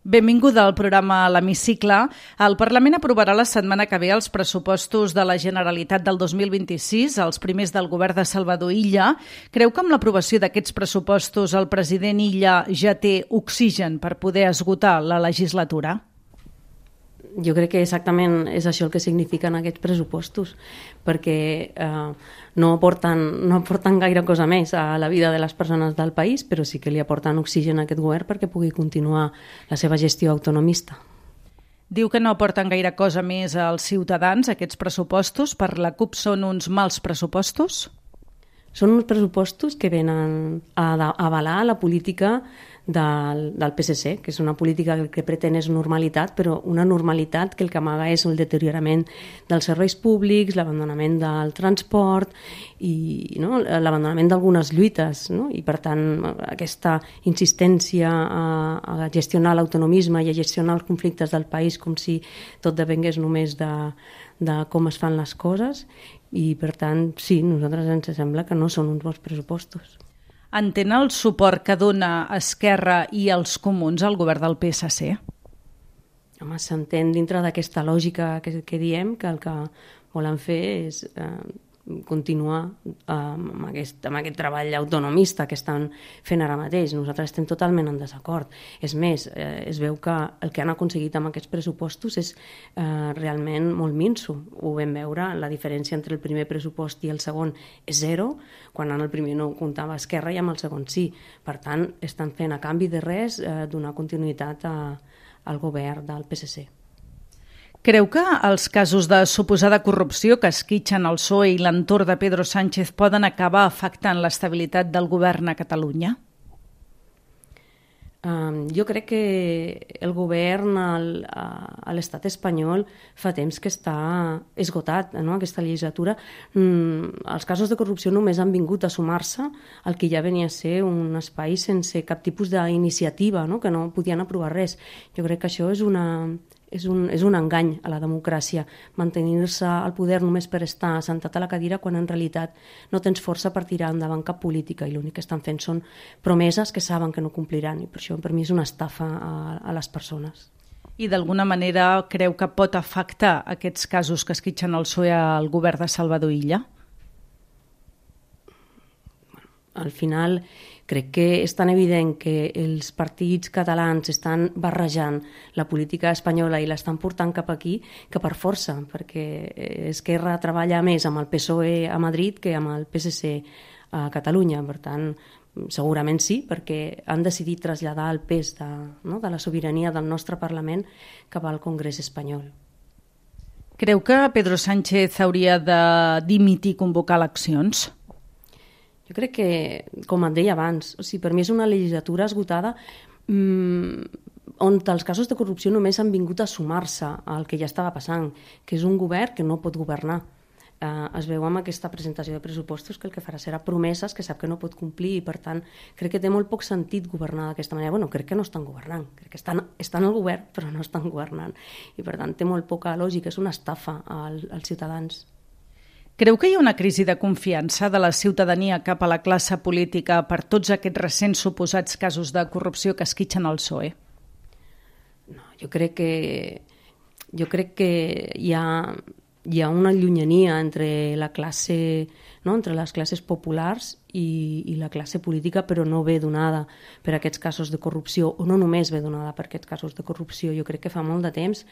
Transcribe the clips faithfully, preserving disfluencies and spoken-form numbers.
Benvinguda al programa L'Hemicicle. El Parlament aprovarà la setmana que ve els pressupostos de la Generalitat del dos mil vint-i-sis, els primers del govern de Salvador Illa. Creu que amb l'aprovació d'aquests pressupostos el president Illa ja té oxigen per poder esgotar la legislatura? Jo crec que exactament és això el que signifiquen aquests pressupostos, perquè eh, no, aporten, no aporten gaire cosa més a la vida de les persones del país, però sí que li aporten oxigen a aquest govern perquè pugui continuar la seva gestió autonomista. Diu que no aporten gaire cosa més als ciutadans, aquests pressupostos. Per la CUP són uns mals pressupostos? Són uns pressupostos que venen a avalar la política del, del P S C, que és una política que pretén és normalitat, però una normalitat que el que amaga és el deteriorament dels serveis públics, l'abandonament del transport i no, l'abandonament d'algunes lluites, no? I per tant aquesta insistència a, a gestionar l'autonomisme i a gestionar els conflictes del país com si tot depengués només de, de com es fan les coses. I, per tant, sí, a nosaltres ens sembla que no són uns bons pressupostos. Entén el suport que dona Esquerra i els comuns al govern del P S C? Home, s'entén dintre d'aquesta lògica que, que diem que el que volen fer és eh, continuar eh, amb, aquest, amb aquest treball autonomista que estan fent ara mateix. Nosaltres estem totalment en desacord. És més, eh, es veu que el que han aconseguit amb aquests pressupostos és eh, realment molt minso. Ho vam veure, la diferència entre el primer pressupost i el segon és zero, quan en el primer no comptava Esquerra i amb el segon sí. Per tant, estan fent a canvi de res eh, donar continuïtat a, al govern del P S C. Creu que els casos de suposada corrupció que esquitxen el P S O E i l'entorn de Pedro Sánchez poden acabar afectant l'estabilitat del govern a Catalunya? Um, jo crec que el govern al, a l'estat espanyol fa temps que està esgotat, no? Aquesta legislatura. Mm, els casos de corrupció només han vingut a sumar-se al que ja venia a ser un espai sense cap tipus d'iniciativa, no? Que no podien aprovar res. Jo crec que això és una... És un, és un engany a la democràcia, mantenir-se al poder només per estar assentat a la cadira quan en realitat no tens força per tirar endavant cap política i l'únic que estan fent són promeses que saben que no compliran i per això per mi és una estafa a, a les persones. I d'alguna manera creu que pot afectar aquests casos que esquitxen el P S O E al govern de Salvador Illa? Al final crec que és tan evident que els partits catalans estan barrejant la política espanyola i l'estan portant cap aquí que per força, perquè Esquerra treballa més amb el P S O E a Madrid que amb el P S C a Catalunya. Per tant, segurament sí, perquè han decidit traslladar el pes de, no, de la sobirania del nostre Parlament cap al Congrés espanyol. Creu que Pedro Sánchez hauria de dimitir i convocar eleccions? Jo crec que, com et deia abans, o sigui, per mi és una legislatura esgotada mmm, on els casos de corrupció només han vingut a sumar-se al que ja estava passant, que és un govern que no pot governar. Eh, es veu amb aquesta presentació de pressupostos que el que farà serà promeses que sap que no pot complir i, per tant, crec que té molt poc sentit governar d'aquesta manera. Bueno, crec que no estan governant, crec que estan, estan al govern però no estan governant i, per tant, té molt poca lògica, és una estafa al, als ciutadans. Creu que hi ha una crisi de confiança de la ciutadania cap a la classe política per tots aquests recents suposats casos de corrupció que esquitxen el P S O E? No, jo crec que, jo crec que hi ha, hi ha una llunyania entre la classe, no? Entre les classes populars i, i la classe política, però no ve donada per aquests casos de corrupció, o no només ve donada per aquests casos de corrupció. Jo crec que fa molt de temps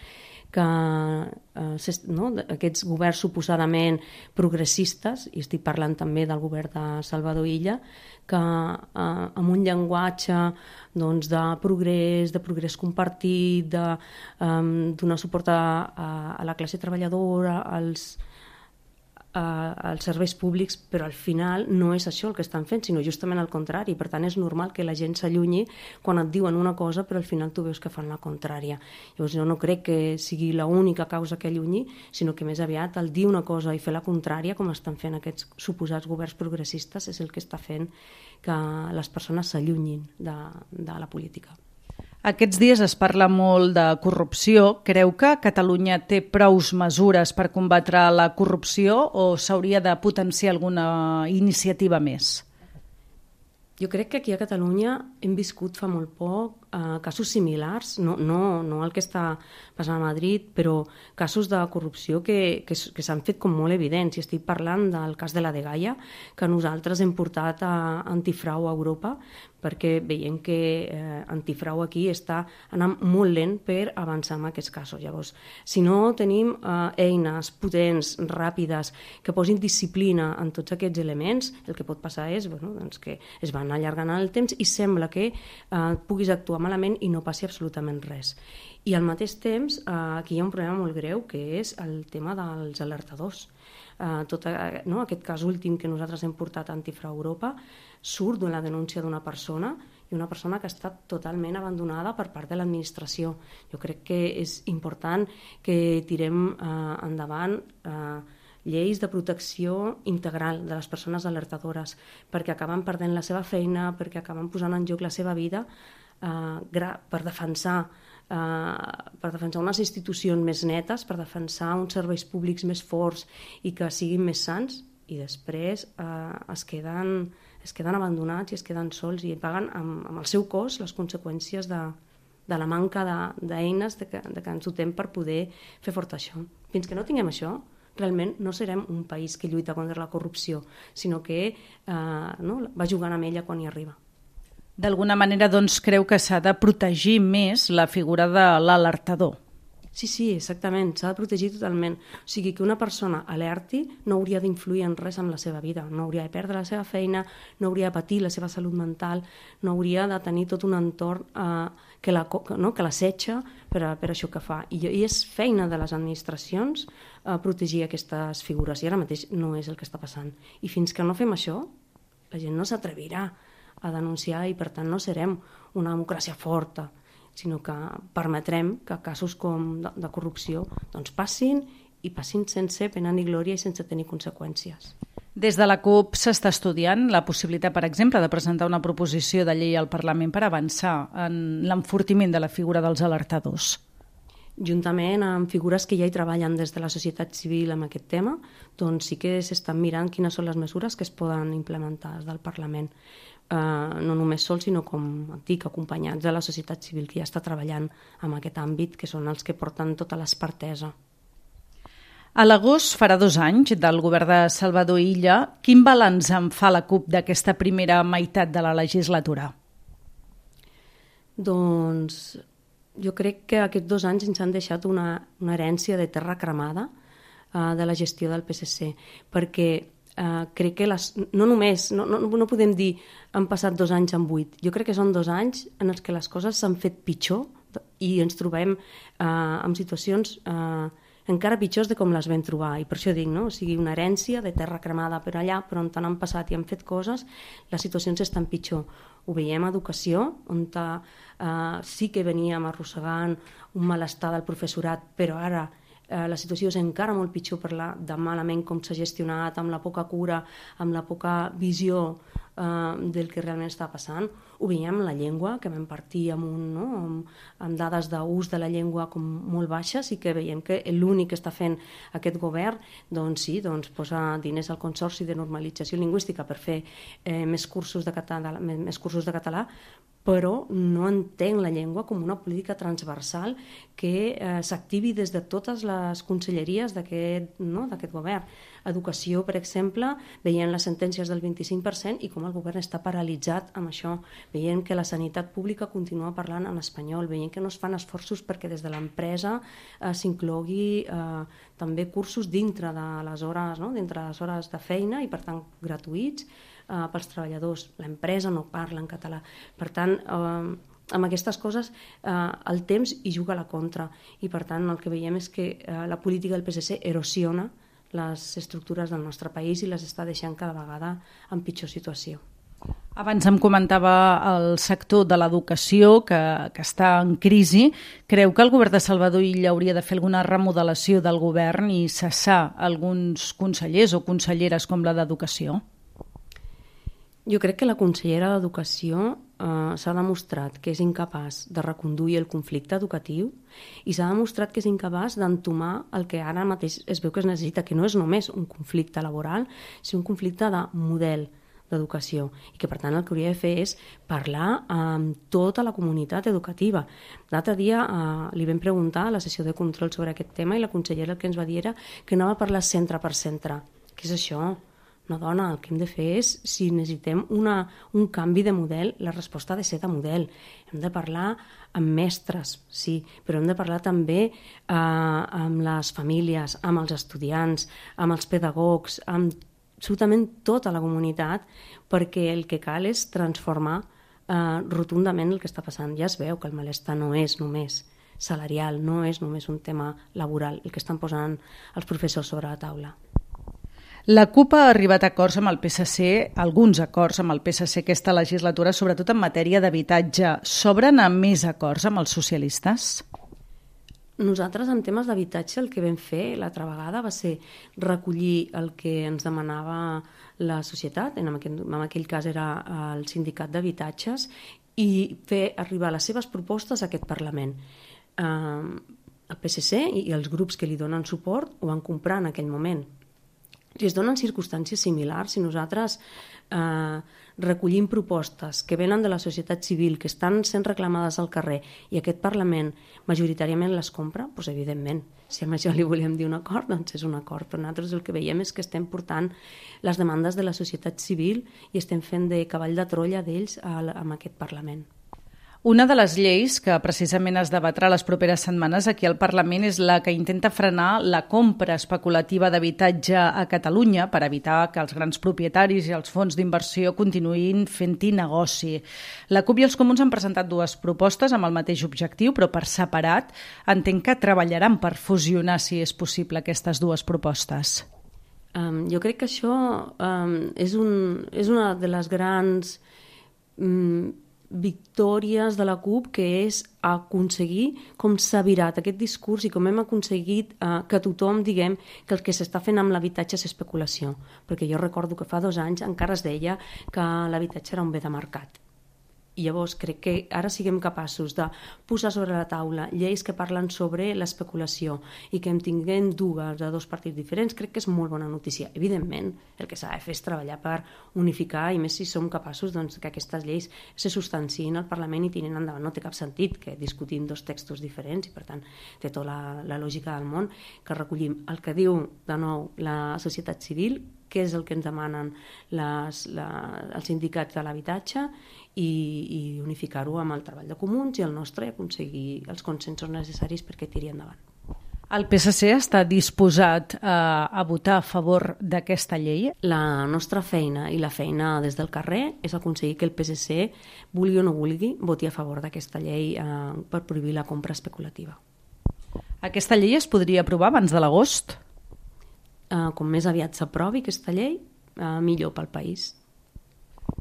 que eh, no, aquests governs suposadament progressistes, i estic parlant també del govern de Salvador Illa, que eh, amb un llenguatge doncs, de progrés, de progrés compartit, de um, donar suport a, a la classe treballadora, als als serveis públics, però al final no és això el que estan fent, sinó justament el contrari. Per tant, és normal que la gent s'allunyi quan et diuen una cosa però al final tu veus que fan la contrària. Llavors jo no crec que sigui l'única causa que allunyi, sinó que més aviat el dir una cosa i fer la contrària, com estan fent aquests suposats governs progressistes, és el que està fent que les persones s'allunyin de, de la política. Aquests dies es parla molt de corrupció. Creu que Catalunya té prous mesures per combatre la corrupció o s'hauria de potenciar alguna iniciativa més? Jo crec que aquí a Catalunya hem viscut fa molt poc uh, casos similars, no, no, no el que està passant a Madrid, però casos de corrupció que, que, que s'han fet com molt evidents. I estic parlant del cas de la Dgaia, que nosaltres hem portat a Antifrau a Europa, perquè veiem que eh, Antifrau aquí està anant molt lent per avançar en aquests casos. Llavors, si no tenim eh, eines potents, ràpides, que posin disciplina en tots aquests elements, el que pot passar és bueno, doncs que es van allargant el temps i sembla que eh, puguis actuar malament i no passi absolutament res. I al mateix temps, eh, aquí hi ha un problema molt greu, que és el tema dels alertadors. Uh, tot uh, no, aquest cas últim que nosaltres hem portat a Antifrau Europa surt d'una denúncia d'una persona i una persona que ha estat totalment abandonada per part de l'administració. Jo crec que és important que tirem uh, endavant uh, lleis de protecció integral de les persones alertadores, perquè acaben perdent la seva feina, perquè acaben posant en joc la seva vida uh, per defensar Uh, per defensar unes institucions més netes, per defensar uns serveis públics més forts i que siguin més sants, i després uh, es, queden, es queden abandonats i es queden sols i paguen amb, amb el seu cos les conseqüències de, de la manca d'eines de, de, que, de que ens dotem per poder fer fort això. Fins que no tinguem això, realment no serem un país que lluita contra la corrupció, sinó que uh, no, va jugant amb ella quan hi arriba. D'alguna manera, doncs, creu que s'ha de protegir més la figura de l'alertador. Sí, sí, exactament, s'ha de protegir totalment. O sigui, que una persona alerti no hauria d'influir en res en la seva vida, no hauria de perdre la seva feina, no hauria de patir la seva salut mental, no hauria de tenir tot un entorn eh, que la, no, que l'assetja per, a, per això que fa. I, I és feina de les administracions eh, protegir aquestes figures, i ara mateix no és el que està passant. I fins que no fem això, la gent no s'atrevirà a denunciar i per tant no serem una democràcia forta, sinó que permetrem que casos com de, de corrupció doncs passin i passin sense pena ni glòria i sense tenir conseqüències. Des de la CUP s'està estudiant la possibilitat, per exemple, de presentar una proposició de llei al Parlament per avançar en l'enfortiment de la figura dels alertadors. Juntament amb figures que ja hi treballen des de la societat civil amb aquest tema, doncs sí que s'estan mirant quines són les mesures que es poden implementar des del Parlament. Uh, no només sols, sinó, com et dic, acompanyats de la societat civil que ja està treballant en aquest àmbit, que són els que porten tota l'expertesa. A l'agost farà dos anys del govern de Salvador Illa. Quin balanç en fa la CUP d'aquesta primera meitat de la legislatura? Doncs jo crec que aquests dos anys ens han deixat una, una herència de terra cremada uh, de la gestió del P S C, perquè Uh, crec que les, no només, no, no, no podem dir han passat dos anys en vuit, jo crec que són dos anys en els que les coses s'han fet pitjor i ens trobem uh, en situacions uh, encara pitjors de com les vam trobar, i per això dic, no? O sigui, una herència de terra cremada per allà, però on han passat i han fet coses, les situacions estan pitjor. Ho veiem a educació, on uh, sí que veníem arrossegant un malestar del professorat, però ara la situació és encara molt pitjor per la de malament com s'ha gestionat, amb la poca cura, amb la poca visió eh, del que realment està passant. Ho veiem amb la llengua, que vam partir amb, un, no? amb, amb dades d'ús de la llengua com molt baixes, i que veiem que l'únic que està fent aquest govern doncs sí, doncs posa diners al Consorci de Normalització Lingüística per fer eh, més, cursos de català, més cursos de català, però no entenc la llengua com una política transversal que eh, s'activi des de totes les conselleries d'aquest no, d'aquest govern. Educació, per exemple, veient les sentències del vint-i-cinc per cent i com el govern està paralitzat amb això, veient que la sanitat pública continua parlant en espanyol, veient que no es fan esforços perquè des de l'empresa eh, s'inclogui eh, també cursos dintre de les hores, no? dintre de les hores de feina i per tant gratuïts, Uh, pels treballadors. L'empresa no parla en català. Per tant, uh, amb aquestes coses uh, el temps hi juga a la contra, i per tant el que veiem és que uh, la política del P S C erosiona les estructures del nostre país i les està deixant cada vegada en pitjor situació. Abans em comentava el sector de l'educació que, que està en crisi. Creu que el govern de Salvador Illa hauria de fer alguna remodelació del govern i cessar alguns consellers o conselleres com la d'Educació? Jo crec que la consellera d'Educació eh, s'ha demostrat que és incapaç de reconduir el conflicte educatiu i s'ha demostrat que és incapaç d'entomar el que ara mateix es veu que es necessita, que no és només un conflicte laboral, sinó un conflicte de model d'educació i que, per tant, el que hauria de fer és parlar amb tota la comunitat educativa. L'altre dia eh, li vam preguntar a la sessió de control sobre aquest tema i la consellera el que ens va dir era que anava a parlar centre per centre. Què és això? No, dona, el que hem de fer és, si necessitem una, un canvi de model, la resposta ha de ser de model. Hem de parlar amb mestres, sí, però hem de parlar també eh, amb les famílies, amb els estudiants, amb els pedagogs, amb absolutament tota la comunitat, perquè el que cal és transformar eh, rotundament el que està passant. Ja es veu que el malestar no és només salarial, no és només un tema laboral, el que estan posant els professors sobre la taula. La CUP ha arribat a acords amb el P S C, alguns acords amb el P S C aquesta legislatura, sobretot en matèria d'habitatge. S'obren a més acords amb els socialistes? Nosaltres, en temes d'habitatge, el que vam fer l'altra vegada va ser recollir el que ens demanava la societat, en aquell, en aquell cas era el sindicat d'habitatges, i fer arribar les seves propostes a aquest Parlament. Eh, el P S C i els grups que li donen suport ho van comprar en aquell moment. Si es donen circumstàncies similars, si nosaltres eh, recollim propostes que venen de la societat civil, que estan sent reclamades al carrer i aquest Parlament majoritàriament les compra, doncs evidentment, si a això li volem dir un acord, doncs és un acord. Però nosaltres el que veiem és que estem portant les demandes de la societat civil i estem fent de cavall de Troia d'ells amb aquest Parlament. Una de les lleis que precisament es debatrà les properes setmanes aquí al Parlament és la que intenta frenar la compra especulativa d'habitatge a Catalunya per evitar que els grans propietaris i els fons d'inversió continuïn fent-hi negoci. La CUP i els Comuns han presentat dues propostes amb el mateix objectiu, però per separat. Entenc que treballaran per fusionar, si és possible, aquestes dues propostes. Um, jo crec que això um, és, un, és una de les grans um, victòries de la CUP, que és aconseguir com s'ha virat aquest discurs i com hem aconseguit eh, que tothom diguem que el que s'està fent amb l'habitatge és especulació. Perquè jo recordo que fa dos anys encara es deia que l'habitatge era un bé de mercat. I llavors crec que ara siguem capaços de posar sobre la taula lleis que parlen sobre l'especulació i que en tinguem dues de dos partits diferents, crec que és molt bona notícia. Evidentment, el que s'ha de fer és treballar per unificar, i més si som capaços doncs, que aquestes lleis se substanciïn al Parlament i tiren endavant. No té cap sentit que discutim dos textos diferents i, per tant, té tota la, la lògica del món que recollim el que diu, de nou, la societat civil, què és el que ens demanen les, la, els sindicats de l'habitatge i, i unificar-ho amb el treball de comuns i el nostre i aconseguir els consensos necessaris perquè tiri endavant. El P S C està disposat a, a votar a favor d'aquesta llei? La nostra feina i la feina des del carrer és aconseguir que el P S C, vulgui o no vulgui, voti a favor d'aquesta llei eh, per prohibir la compra especulativa. Aquesta llei es podria aprovar abans de l'agost? Uh, com més aviat s'aprovi aquesta llei, uh, millor pel país.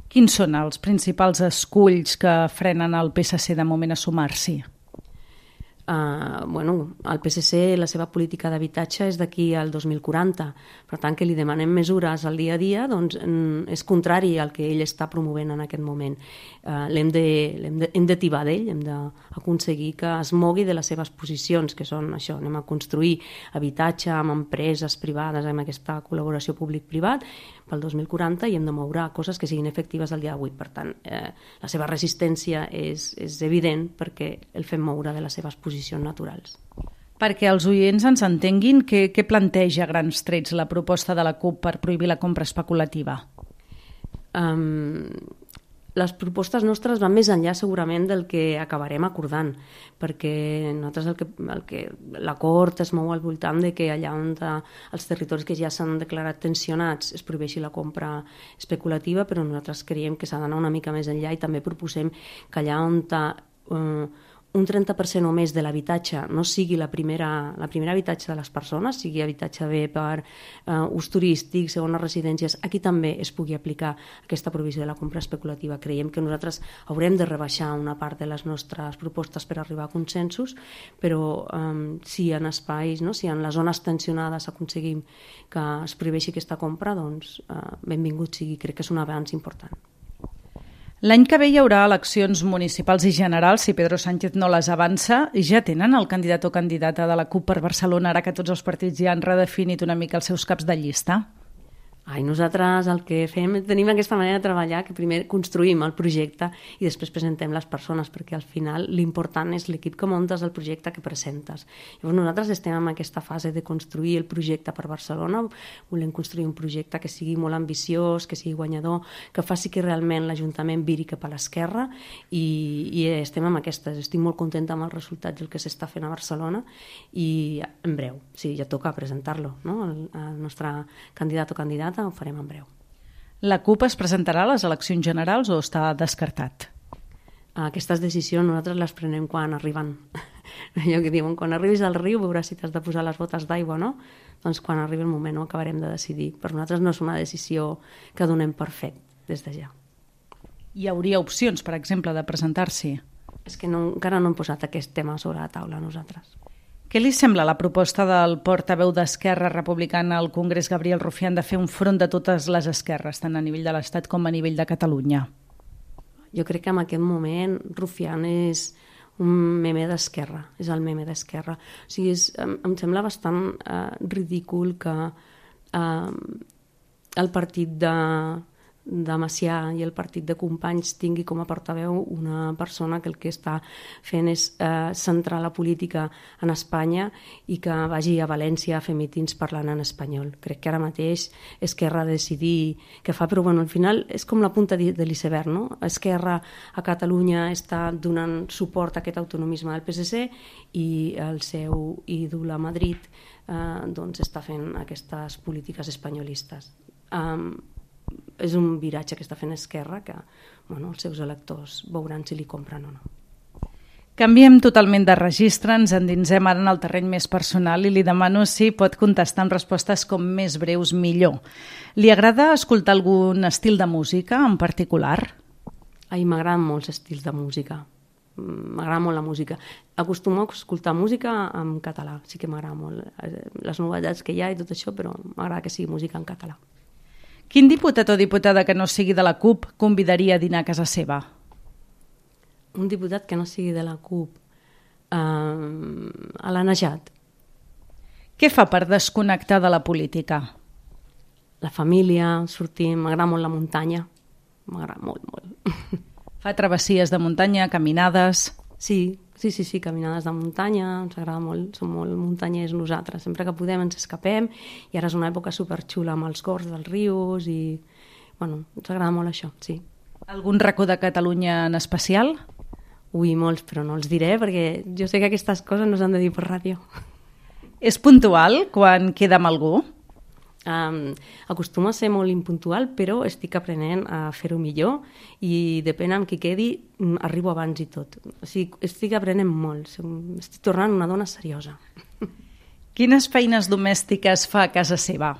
Quins són els principals esculls que frenen el P S C de moment a sumar-s'hi? Uh, bueno, el P S C, la seva política d'habitatge és d'aquí al dos mil quaranta. Per tant, que li demanem mesures al dia a dia, doncs és contrari al que ell està promovent en aquest moment. Uh, l'hem de, l'hem de, hem de tibar d'ell, hem d'aconseguir que es mogui de les seves posicions, que són això, anem a construir habitatge amb empreses privades, amb aquesta col·laboració públic-privat, pel dos mil quaranta, i hem de moure coses que siguin efectives al dia d'avui. Per tant, eh, la seva resistència és, és evident perquè el fem moure de les seves posicions naturals. Perquè els oients ens entenguin, què, què planteja a grans trets la proposta de la CUP per prohibir la compra especulativa? Um, les propostes nostres van més enllà segurament del que acabarem acordant, perquè nosaltres el que, el que l'acord es mou al voltant de que allà on de, els territoris que ja s'han declarat tensionats es prohibeixi la compra especulativa, però nosaltres creiem que s'ha d'anar una mica més enllà i també proposem que allà on de, uh, un trenta per cent o més de l'habitatge no sigui la primera, la primera habitatge de les persones, sigui habitatge bé per uh, ús turístic, segones residències, aquí també es pugui aplicar aquesta provisió de la compra especulativa. Creiem que nosaltres haurem de rebaixar una part de les nostres propostes per arribar a consensos, però um, si en espais, no? si en les zones tensionades aconseguim que es prohibeixi aquesta compra, doncs uh, benvingut sigui, crec que és un avanç important. L'any que ve hi haurà eleccions municipals i generals, si Pedro Sánchez no les avança. Ja tenen el candidat o candidata de la CUP per Barcelona, ara que tots els partits ja han redefinit una mica els seus caps de llista? Ai, nosaltres el que fem, tenim aquesta manera de treballar que primer construïm el projecte i després presentem les persones, perquè al final l'important és l'equip que muntes, el projecte que presentes. Llavors nosaltres estem en aquesta fase de construir el projecte per Barcelona, volem construir un projecte que sigui molt ambiciós, que sigui guanyador, que faci que realment l'Ajuntament viri cap a l'esquerra i, i estem amb aquestes. Estic molt contenta amb els resultats del que s'està fent a Barcelona i en breu, sí, ja toca presentar-lo, no? El, el nostre candidat o candidata ho farem en breu. La CUP es presentarà a les eleccions generals o està descartat? Aquestes decisions nosaltres les prenem quan arriben. Allò que diuen, quan arribis al riu veuràs si t'has de posar les botes d'aigua o no. Doncs quan arribi el moment ho acabarem de decidir. Per nosaltres no és una decisió que donem per fet des de ja. Hi hauria opcions, per exemple, de presentar-s'hi? És que no, encara no hem posat aquest tema sobre la taula nosaltres. Què li sembla la proposta del portaveu d'Esquerra Republicana al Congrés, Gabriel Rufián, de fer un front de totes les esquerres, tant a nivell de l'Estat com a nivell de Catalunya? Jo crec que en aquest moment Rufián és un meme d'esquerra, és el meme d'esquerra. O sigui, és, em, em sembla bastant eh, ridícul que eh, el partit de... de Macià i el partit de Companys tingui com a portaveu una persona que el que està fent és eh, centrar la política en Espanya i que vagi a València a fer mítings parlant en espanyol. Crec que ara mateix Esquerra ha de decidir què fa, però bueno, al final és com la punta de l'iceberg, no? Esquerra a Catalunya està donant suport a aquest autonomisme del P S C i el seu ídol a Madrid eh, doncs està fent aquestes polítiques espanyolistes. Um, és un viratge que està fent Esquerra que bueno, els seus electors veuran si li compren o no. Canviem totalment de registre, ens endinsem ara en el terreny més personal i li demano si pot contestar amb respostes com més breus millor. Li agrada escoltar algun estil de música en particular? Ai, m'agraden molts estils de música. M'agrada molt la música. Acostumo a escoltar música en català, sí que m'agrada molt les novetats que hi ha i tot això, però m'agrada que sigui música en català. Quin diputat o diputada que no sigui de la CUP convidaria a dinar a casa seva? Un diputat que no sigui de la CUP? Uh, a la Najat. Què fa per desconnectar de la política? La família, sortim, m'agrada molt la muntanya. M'agrada molt, molt. Fa travessies de muntanya, caminades? Sí, sí, sí, sí, caminades de muntanya, ens agrada molt, som molt muntanyers nosaltres, sempre que podem ens escapem i ara és una època superxula amb els cors dels rius i, bueno, ens agrada molt això, sí. Algun racó de Catalunya en especial? Ui, molts, però no els diré perquè jo sé que aquestes coses no s'han de dir per ràdio. És puntual quan queda amb algú? Um, acostumo a ser molt impuntual, però estic aprenent a fer-ho millor i depèn amb qui quedi, arribo abans i tot. O sigui, estic aprenent molt, estic tornant una dona seriosa. Quines feines domèstiques fa a casa seva?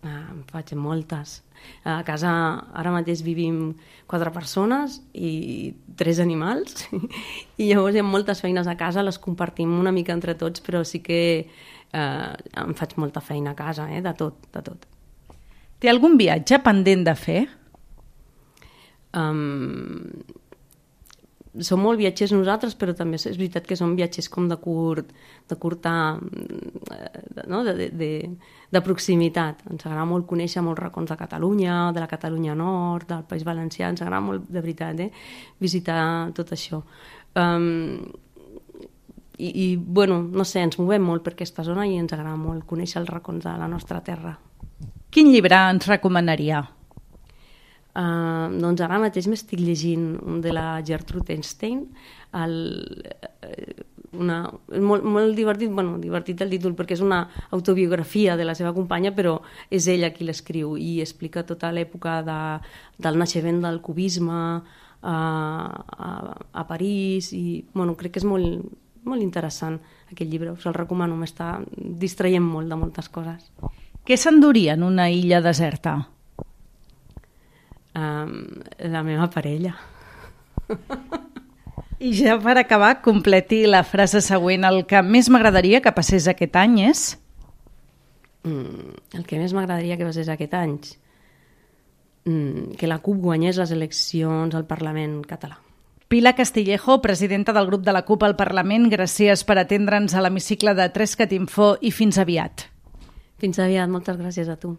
Ah, en faig moltes. A casa ara mateix vivim quatre persones i tres animals i llavors hi ha moltes feines a casa, les compartim una mica entre tots, però sí que eh, em faig molta feina a casa, eh, de tot, de tot. Té algun viatge pendent de fer? Um, som molt viatgers nosaltres, però també és veritat que som viatgers com de curt, de curta, no? de, de, de, de proximitat. Ens agrada molt conèixer molts racons de Catalunya, de la Catalunya Nord, del País Valencià, ens agrada molt, de veritat, eh? visitar tot això. Um, i, I, bueno, no sé, ens movem molt per aquesta zona i ens agrada molt conèixer els racons de la nostra terra. Quin llibre ens recomanaria? Uh, doncs ara mateix m'estic llegint un de la Gertrude Einstein, el, una, molt, molt divertit, bueno, divertit el títol perquè és una autobiografia de la seva companya, però és ella qui l'escriu i explica tota l'època de, del naixement del cubisme a, a, a París i bueno, crec que és molt, molt interessant aquest llibre, us el recomano, m'està distraient molt de moltes coses. Què s'enduria en una illa deserta? Um, la meva parella. I ja per acabar, completi la frase següent. El que més m'agradaria que passés aquest any és? Mm, el que més m'agradaria que passés aquest any? Mm, que la CUP guanyés les eleccions al Parlament català. Pilar Castillejo, presidenta del grup de la CUP al Parlament, gràcies per atendre'ns a l'hemicicle de Trescat Info i fins aviat. Fins aviat, moltes gràcies a tu.